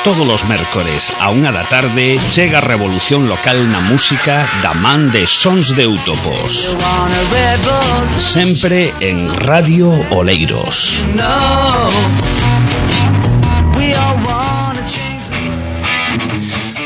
Todos os mércores a 1 da tarde chega a revolución local na música da man de Sons de Utopos. Sempre en Radio Oleiros.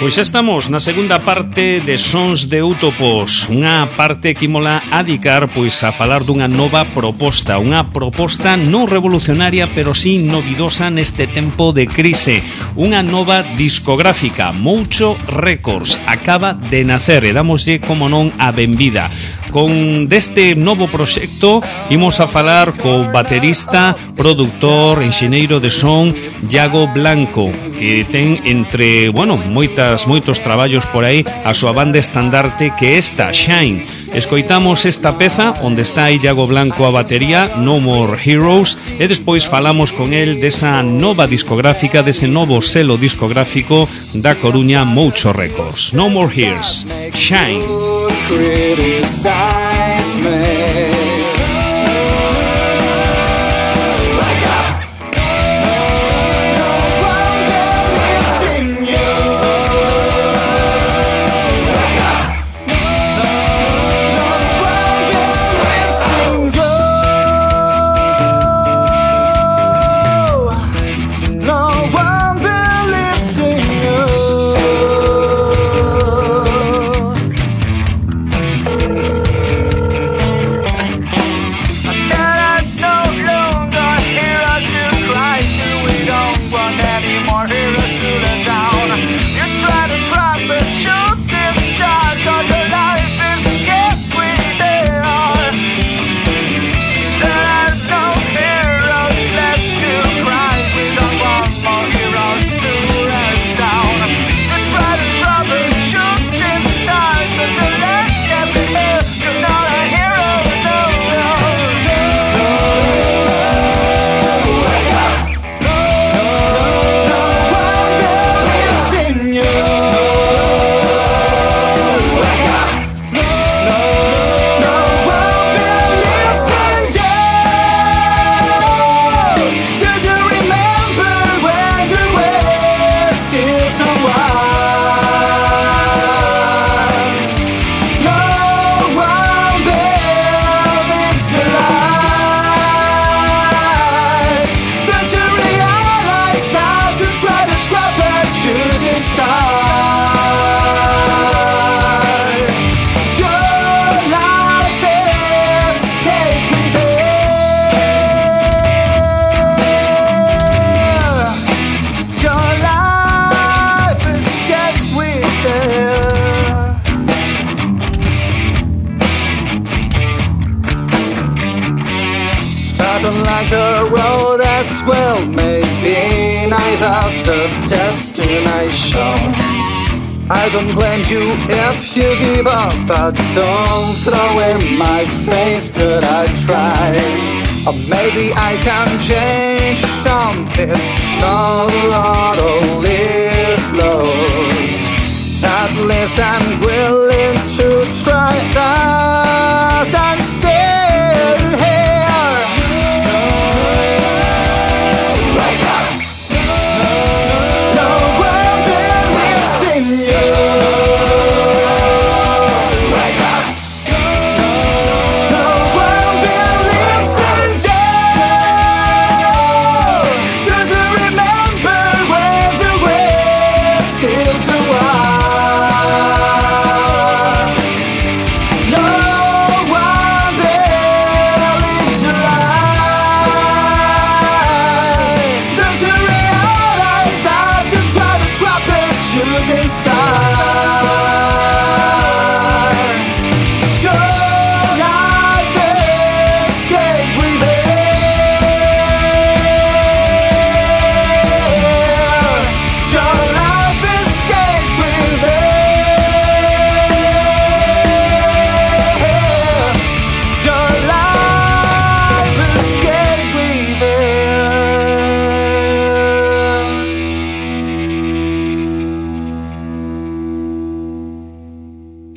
Pois xa estamos na segunda parte de Sons de Utopos, unha parte que mola a dedicar pois a falar dunha nova proposta, unha proposta non revolucionaria pero sí novidosa neste tempo de crise, unha nova discográfica, Moucho Records, acaba de nacer e damoslle como non a benvida. Con deste novo proxecto imos a falar co baterista, produtor, enxeñeiro de son Iago Blanco, que ten entre, moitos traballos por aí a súa banda estandarte que esta, Shine. Escoitamos esta peza onde está Iago Blanco a batería, No More Heroes, e despois falamos con el desa nova discográfica, dese novo selo discográfico da Coruña, Moucho Records. No More Heroes, Shine. I don't blame you if you give up, but don't throw in my face that I tried. Or maybe I can change something, not a lot all is lost. At least I'm willing to try, 'cause I'm still here. Wake up!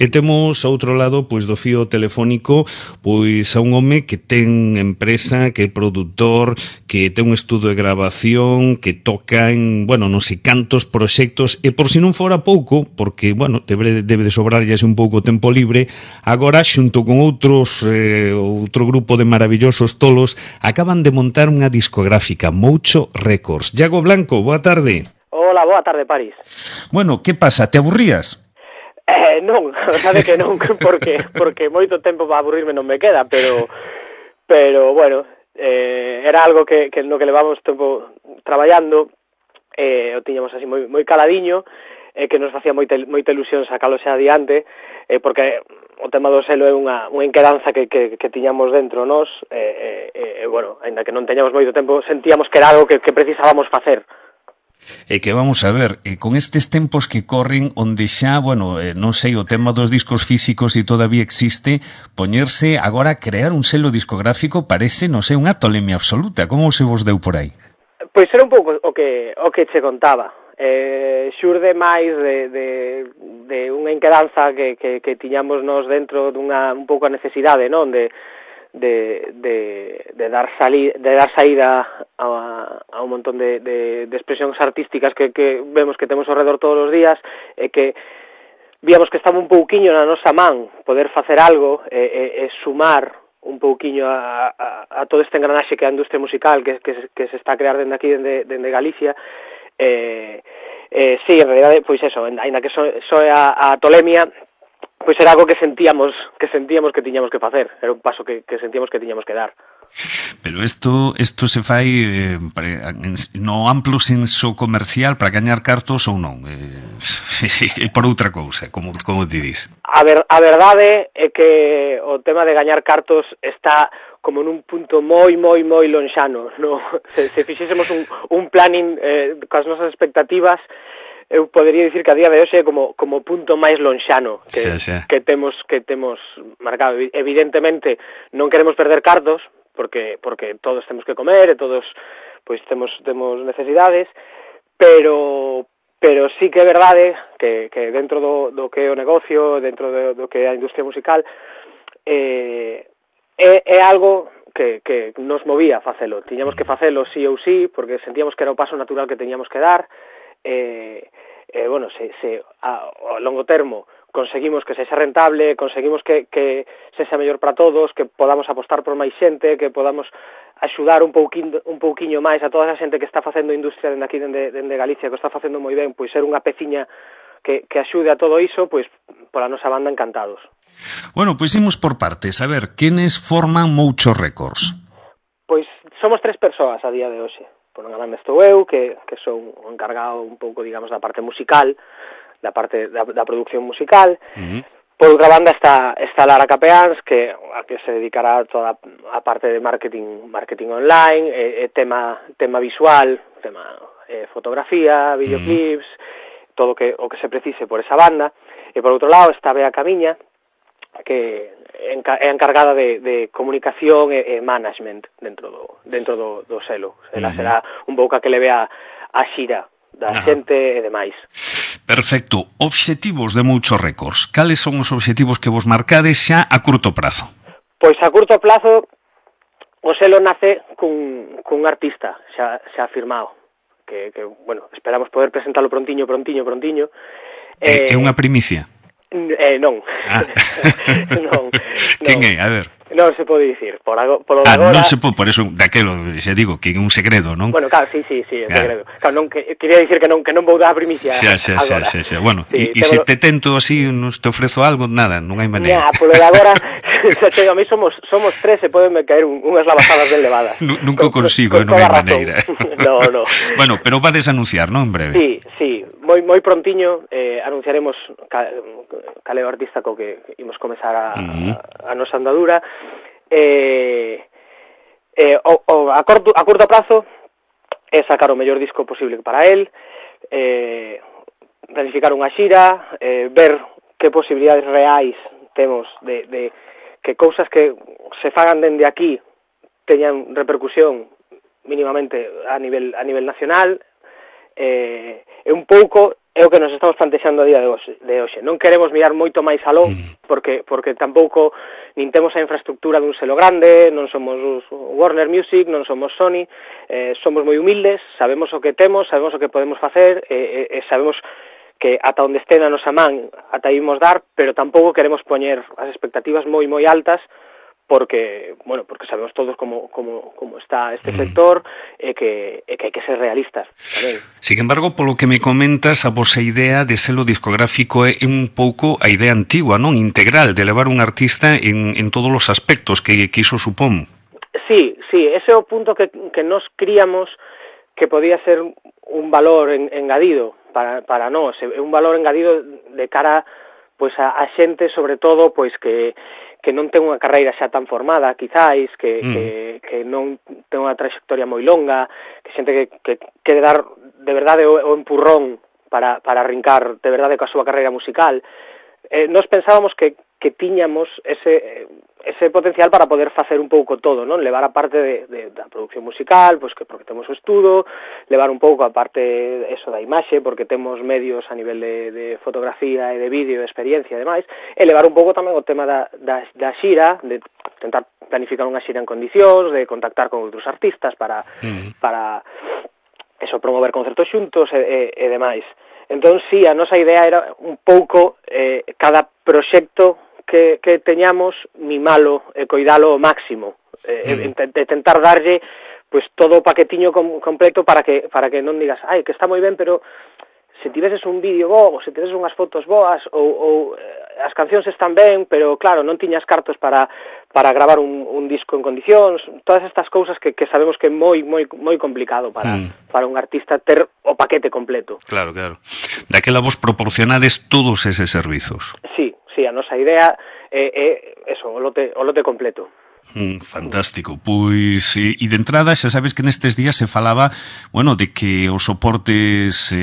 E temos ao outro lado, pois, do fío telefónico, pois, a un home que ten empresa, que é produtor, que ten un estudo de grabación, que toca en, bueno, non sei cantos proxectos, e por si non fora pouco, porque, bueno, debe de sobrarlle un pouco tempo libre, agora, xunto con outros, outro grupo de maravillosos tolos, acaban de montar unha discográfica, Moucho Records. Iago Blanco, boa tarde. Hola, boa tarde, París. Bueno, que pasa, te aburrías? Non, a verdade que non, porque moito tempo para aburrirme non me queda, pero bueno, era algo que no que levamos tempo traballando, o tiñamos así moi caladiño, que nos facía moita ilusión sacalo xa adiante, porque o tema do selo é unha inquedanza que tiñamos dentro nós, bueno, aínda que non teñamos moito tempo, sentíamos que era algo que precisábamos facer. E que vamos a ver, con estes tempos que corren onde xa, bueno, non sei, o tema dos discos físicos e todavía existe, poñerse agora a crear un selo discográfico parece, non sei, unha tolemia absoluta. Como se vos deu por aí? Pois era un pouco o que che contaba. Xurde máis de unha inquedanza que tiñamos nós dentro dunha un pouco a necesidade, non? De dar saída a un montón de expresións artísticas que vemos que temos ao redor todos os días, e que víamos que estaba un pouquiño na nosa man poder facer algo e sumar un pouquiño a todo este engranaxe que é a industria musical que se está a crear dende aquí, dende Galicia. Sí, en realidade, pois eso, aínda que soe a tolemia, pois era algo que sentíamos que tiñamos que facer, era un paso que sentíamos que tiñamos que dar. Pero isto se fai no amplo senso comercial para gañar cartos ou non? E por outra cousa, como te dis? A verdade é que o tema de gañar cartos está como nun punto moi lonxano, no? Se fixésemos un planning coas nosas expectativas, eu podería dicir que a día de hoxe é como punto máis lonxano que temos marcado. Evidentemente non queremos perder cartos, porque todos temos que comer e todos pois temos necesidades, pero sí que é verdade que dentro do que é o negocio, dentro do que é a industria musical, é algo que nos movía a facelo. Tiñamos que facelo sí ou sí, porque sentíamos que era o paso natural que teníamos que dar. Bueno, se a longo termo conseguimos que sexa rentable, conseguimos que sexa mellor para todos, que podamos apostar por máis xente, que podamos axudar un pouquiño máis a toda esa xente que está facendo industria dende aquí, dende Galicia, que está facendo moi ben, pois ser unha peciña que axude a todo iso, pois pola nosa banda encantados. Bueno, pois imos por partes. A ver, quenes forman Moucho Records? Pois somos 3 persoas a día de hoxe. Por unha banda estou eu, que son o encargado un pouco, digamos, da parte musical, da parte da producción musical. Por outra banda está Lara Capeáns, que se dedicará a toda a parte de marketing online, tema visual, tema fotografía, videoclips, todo o que se precise por esa banda. E por outro lado está Bea Camiña, que é encargada de comunicación e management dentro do selo. Ela será un pouco a que le vea a xira da xente e demais. Perfecto. Obxectivos de Moucho Records. Cales son os obxectivos que vos marcades xa a curto prazo? Pois a curto plazo o selo nace cun artista xa firmado, que bueno, esperamos poder presentalo prontiño. É unha primicia? Non. Non. Quen é? A ver. Non se pode dicir, por agora... non se pode, por eso, daquelo, xa digo, que é un segredo, non? Bueno, claro, sí, é segredo. Claro, non, quería dicir que non vou dar a primicia agora. Xa. Bueno, e se te tento así, te ofrezo algo, nada, non hai maneira. Polo de agora, a mí somos 3 e podenme caer unhas lavazadas ben levadas. Nunca consigo, non hai maneira. No. Bueno, pero vades a anunciar, non, en breve? Sí, moi prontiño anunciaremos cal é o artista co que imos comezar a nosa andadura. A curto prazo é sacar o mellor disco posible para él, planificar unha xira, ver que posibilidades reais temos de que cousas que se fagan dende aquí teñan repercusión mínimamente a nivel nacional, e un pouco é o que nos estamos plantexando a día de hoxe. Non queremos mirar moito máis aló, porque tampouco nin temos a infraestructura dun selo grande, non somos Warner Music, non somos Sony, somos moi humildes, sabemos o que temos, sabemos o que podemos facer, e sabemos que ata onde este na nosa man ata ímos dar, pero tampouco queremos poñer as expectativas moi altas, porque sabemos todos como está este sector e que hai que ser realistas tamén. Sin embargo, polo que me comentas, a vosa idea de selo discográfico é un pouco a idea antigua, non? Integral, de levar un artista en todos os aspectos que iso supón. Sí, ese é o punto que nos críamos que podía ser un valor engadido para nós, é un valor engadido de cara pois a xente, sobre todo, pois que non ten unha carreira xa tan formada, quizáis, que non ten unha trayectoria moi longa, que xente que quere dar de verdade o empurrón para arrincar de verdade coa súa carreira musical. Nós pensábamos que tiñamos ese potencial para poder facer un pouco todo, non? Levar a parte da produción musical, pois que porque temos o estudo, levar un pouco a parte eso da imaxe, porque temos medios a nivel de fotografía e de vídeo, de experiencia e demais, e levar un pouco tamén o tema da xira, de tentar planificar unha xira en condicións, de contactar con outros artistas para eso, promover concertos xuntos e demais. Entón, sí, a nosa idea era un pouco cada proxecto que teñamos mimalo e coidalo ao máximo, de tentar darlle pues todo o paquetiño completo para que non digas, ai, que está moi ben, pero se tiveses un vídeo bo, ou se tiveses unhas fotos boas, ou as cancións están ben, pero claro, non tiñas cartos para gravar un disco en condicións, todas estas cousas que sabemos que é moi complicado para un artista ter o paquete completo. Claro. Daquela vos proporcionades todos eses servizos. Sí, a nosa idea é eso, o lote completo. Fantástico. Pois, e de entrada, xa sabes que nestes días se falaba, de que os soportes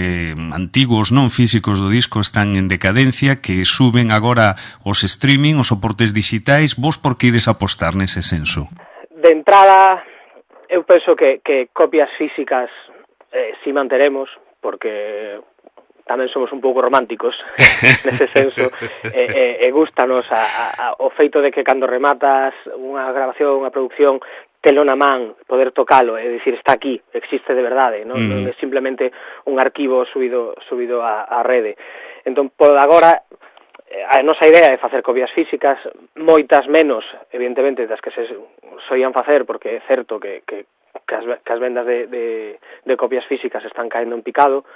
antigos, non físicos do disco están en decadencia, que suben agora os streaming, os soportes digitais. Vos por que ides apostar nese senso? De entrada, eu penso que copias físicas si manteremos, porque tamén somos un pouco románticos nese senso, e gustanos o feito de que cando rematas unha grabación, unha producción, telo na man, poder tocalo, é dicir, está aquí, existe de verdade, non é simplemente un arquivo subido á rede. Entón, por agora, a nosa idea é facer copias físicas, moitas menos, evidentemente, das que se soían facer, porque é certo que as vendas de copias físicas están caendo en picado,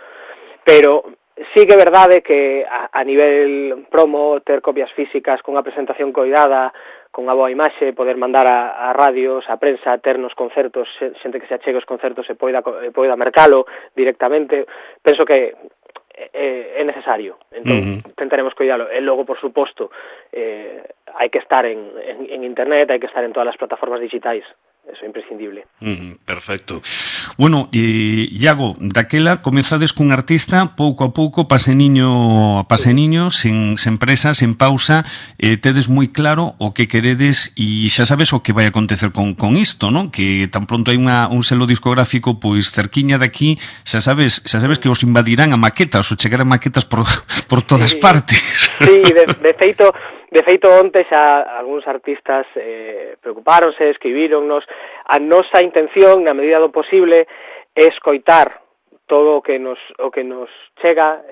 pero sí que é verdade que a nivel promo, ter copias físicas con a presentación coidada, con a boa imaxe, poder mandar a radios, a prensa, ter nos concertos, xente que se achegue os concertos e poida mercalo directamente, penso que é necesario. Entón, tentaremos coidalo. E logo, por suposto, hai que estar en internet, hai que estar en todas as plataformas digitais. Eso é imprescindible. Perfecto. Bueno, Iago, daquela comezades cun artista pouco a pouco, paseniño a paseniño, sen presa, sen pausa, tedes moi claro o que queredes e xa sabes o que vai acontecer con isto, non? Que tan pronto hai un selo discográfico pois cerquiña daqui, xa sabes que os invadirán a maquetas, ou chegarán maquetas por todas partes. Sí, de feito, onte xa algúns artistas preocupáronse, escribíronnos. A nosa intención, na medida do posible, é escoitar todo o que nos chega,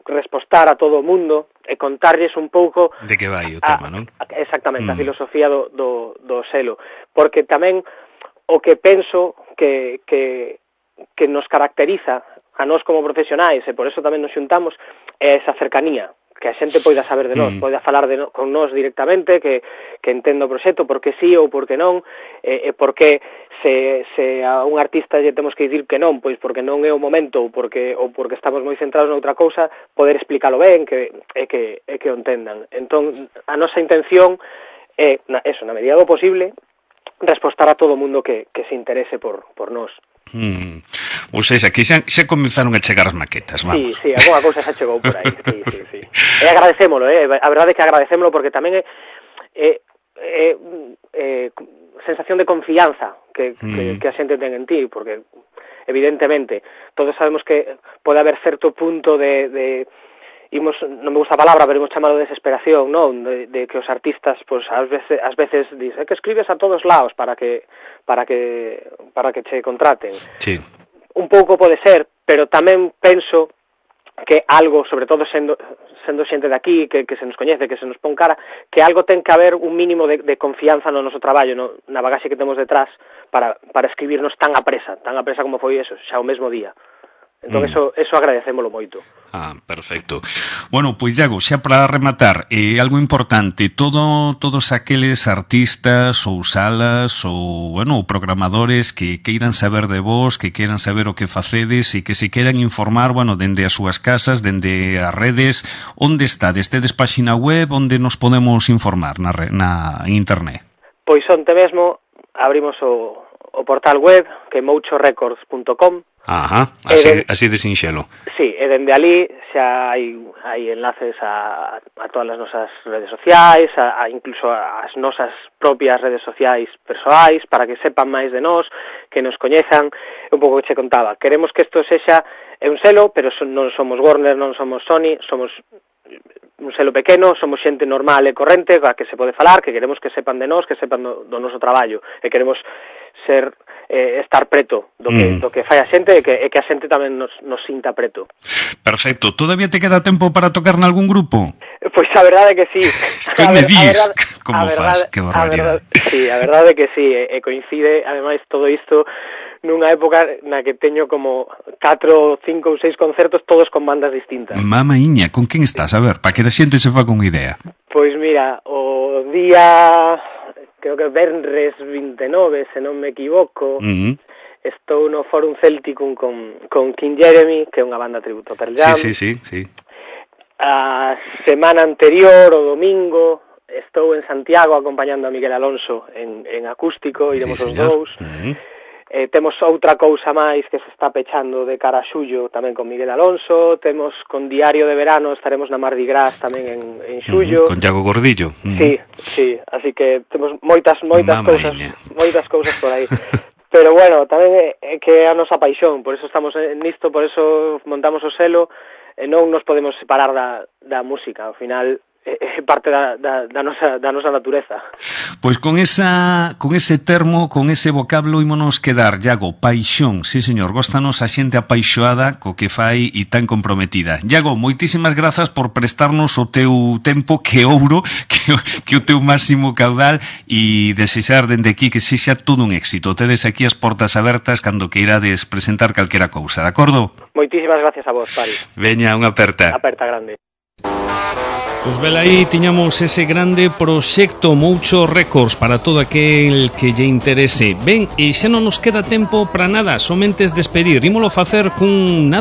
respostar a todo o mundo e contarlles un pouco de que vai o tema, non? Exactamente, a filosofía do selo, porque tamén o que penso que nos caracteriza a nós como profesionais, e por eso tamén nos xuntamos, é esa cercanía, que a xente poida saber de nós, poida falar con nós directamente, que entenda o proxecto, porque sí ou porque non, e porque se a un artista lle temos que dicir que non, pois porque non é o momento, ou porque estamos moi centrados noutra cousa, poder explicarlo ben, que o entendan. Entón, a nosa intención é, na medida do posible, respostar a todo o mundo que se interese por nós. Ou seja, que xa comezaron a chegar as maquetas, vamos. Sí, alguna cousa xa chegou por aí, sí. E agradecémolo, a verdade é que agradecémolo porque tamén é sensación de confianza que a xente ten en ti, porque evidentemente, todos sabemos que pode haber certo punto de non me gusta a palabra, pero imos chamalo de desesperación, non? De que os artistas, pois, ás veces dicen, que escribes a todos lados para que che contraten. Sí. Un pouco pode ser, pero tamén penso que algo, sobre todo sendo xente de aquí, que se nos coñece, que se nos pon cara, que algo ten que haber un mínimo de confianza no noso traballo, na bagaxe que temos detrás para escribirnos tan a presa como foi eso, xa o mesmo día. Entón, eso agradecémolo moito. Perfecto. Bueno, pois Iago, xa para rematar, algo importante, todos aqueles artistas ou salas ou, bueno, programadores que queiran saber de vos, que queiran saber o que facedes e que se queiran informar, bueno, dende as súas casas, dende as redes, onde estades? Tedes páxina web onde nos podemos informar na internet? Pois onte mesmo abrimos o portal web, que é mouchorecords.com. Ajá, así de sinxelo. Sí, e dende ali xa hai enlaces a todas as nosas redes sociais, incluso as nosas propias redes sociais persoais, para que sepan máis de nós, que nos coñezan. Un pouco que che contaba, queremos que isto sexa un selo, pero non somos Warner, non somos Sony, somos un selo pequeno, somos xente normal e corrente, a que se pode falar, que queremos que sepan de nós, que sepan do noso traballo, e queremos estar preto do que fai a xente e que a xente tamén nos sinta preto. Perfecto. Todavía te queda tempo para tocar nalgún grupo? Pois a verdade é que sí. Que me dis? Como faz? Que barbaridade. Sí, a verdade é que sí, e coincide, ademais, todo isto nunha época na que teño como 4, 5 ou 6 concertos todos con bandas distintas. Mamaíña, con quen estás? A ver, para que a xente se fa con idea. Pois mira, o día, creo que Venres 29, se non me equivoco, estou no Forum Celticum con King Jeremy, que é unha banda tributo a Pearl Jam. Sí. A semana anterior, o domingo, estou en Santiago acompañando a Miguel Alonso en acústico, iremos os dous. Temos outra cousa máis que se está pechando de cara a xullo tamén con Miguel Alonso, temos con Diario de Verano, estaremos na Mardi Gras tamén en xullo. Con Iago Gordillo. Sí, así que temos moitas cousas por aí. Pero bueno, tamén é que é a nosa paixón, por eso estamos nisto, por eso montamos o selo, e non nos podemos separar da música, ao final é parte da nosa natureza. Pois con ese termo, con ese vocablo ímonos quedar, Iago, paixón, sí señor, góstanos a xente apaixoada co que fai e tan comprometida. Iago, moitísimas grazas por prestarnos o teu tempo, que ouro, que o teu máximo caudal, e desexar dende aquí que sexa todo un éxito. Tedes aquí as portas abertas cando queirades presentar calquera cousa, de acordo? Moitísimas gracias a vos, Pari. Veña, unha aperta. Aperta grande. Pois vela aí, tiñamos ese grande proxecto Moucho Records para todo aquel que lle interese. Ben, e xa non nos queda tempo para nada, somente es despedir. Ímolo facer cun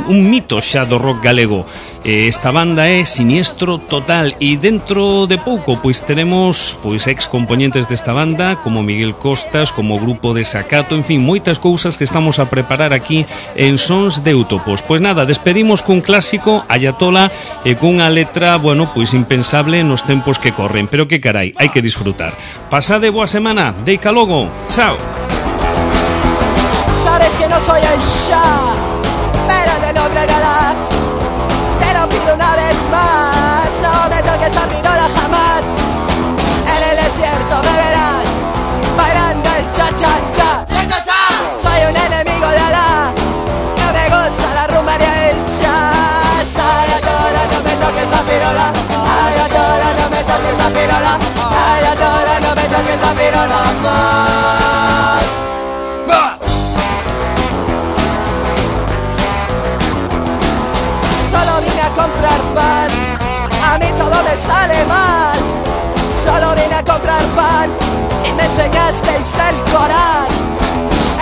mito xa do rock galego. Esta banda é Siniestro Total e dentro de pouco pois teremos ex componentes desta banda como Miguel Costas, como grupo de Sacato, en fin, moitas cousas que estamos a preparar aquí en Sons de Utopos. Pois nada, despedimos cun clásico, Ayatola, e cunha letra, bueno, pois impensable nos tempos que corren, pero que carai, hai que disfrutar. Pasade boa semana, deica logo, chao. Sabes que no soy el Shah, pero de nombre galán. Te lo pido una vez más, no me toques a pirola jamás. En el desierto me verás bailando el cha-cha-cha. Soy un enemigo de Alá, no me gusta la rumba ni el jazz. Ayatola, no me toques a pirola. Ayatola, no me toques a pirola. Ayatola, no me toques a pirola más. Solo vine a comprar pan, a mí todo me sale mal. Solo vine a comprar pan y me enseñasteis el Corán.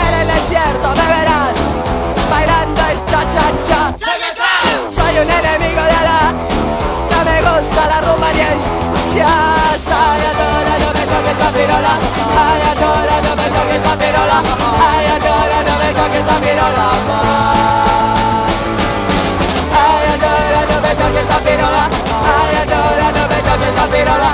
En el desierto me verás bailando el cha-cha-cha. Soy un enemigo de Alá, no me gusta la rumba ni el jazz. Ayatola, no me toques la pirola. Ayatola, no me toques la pirola. Ayatola, no me toques la pirola más. Ayatola, no me toques la pirola. Ayatola, no me toques la pirola.